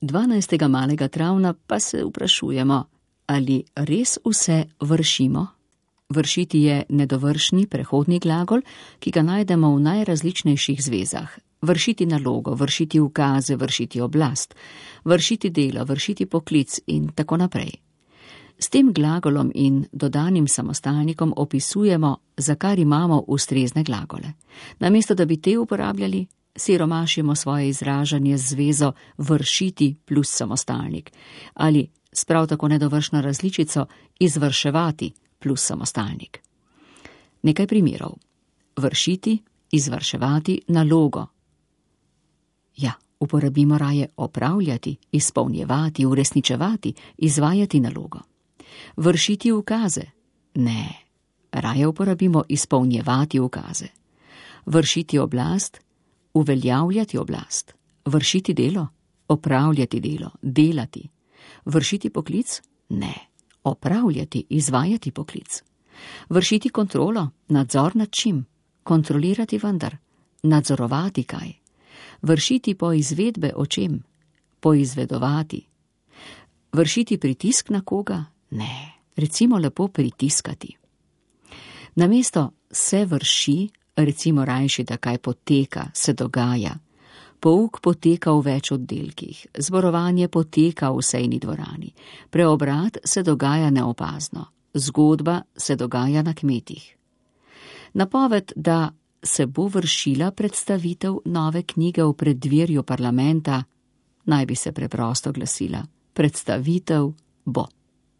12. malega travna pa se vprašujemo, ali res vse vršimo? Vršiti je nedovršni prehodni glagol, ki ga najdemo v najrazličnejših zvezah. Vršiti nalogo, vršiti ukaze, vršiti oblast, vršiti delo, vršiti poklic in tako naprej. S tem glagolom in dodanim samostalnikom opisujemo, za kar imamo ustrezne glagole. Namesto da bi te uporabljali, siromašimo svoje izražanje z zvezo vršiti plus samostalnik ali s prav tako nedovršno različico izvrševati plus samostalnik. Nekaj primerov. Vršiti, izvrševati nalogo. Ja, uporabimo raje opravljati, izpolnjevati, uresničevati, izvajati nalogo. Vršiti ukaze. Ne, raje uporabimo izpolnjevati ukaze. Vršiti oblast, uveljavljati oblast. Vršiti delo, opravljati delo, delati. Vršiti poklic? Ne, opravljati, izvajati poklic. Vršiti kontrolo, nadzor nad čim? Kontrolirati vendar, nadzorovati kaj? Vršiti poizvedbe o čem? Poizvedovati. Vršiti pritisk na koga? Ne, recimo lepo pritiskati. Namesto se vrši, recimo rajši, da kaj poteka, se dogaja. Pouk poteka v več oddelkih, zborovanje poteka v sejni dvorani, preobrat se dogaja neopazno, zgodba se dogaja na kmetih. Napoved, da se bo vršila predstavitev nove knjige v preddverju parlamenta, naj bi se preprosto glasila: predstavitev bo.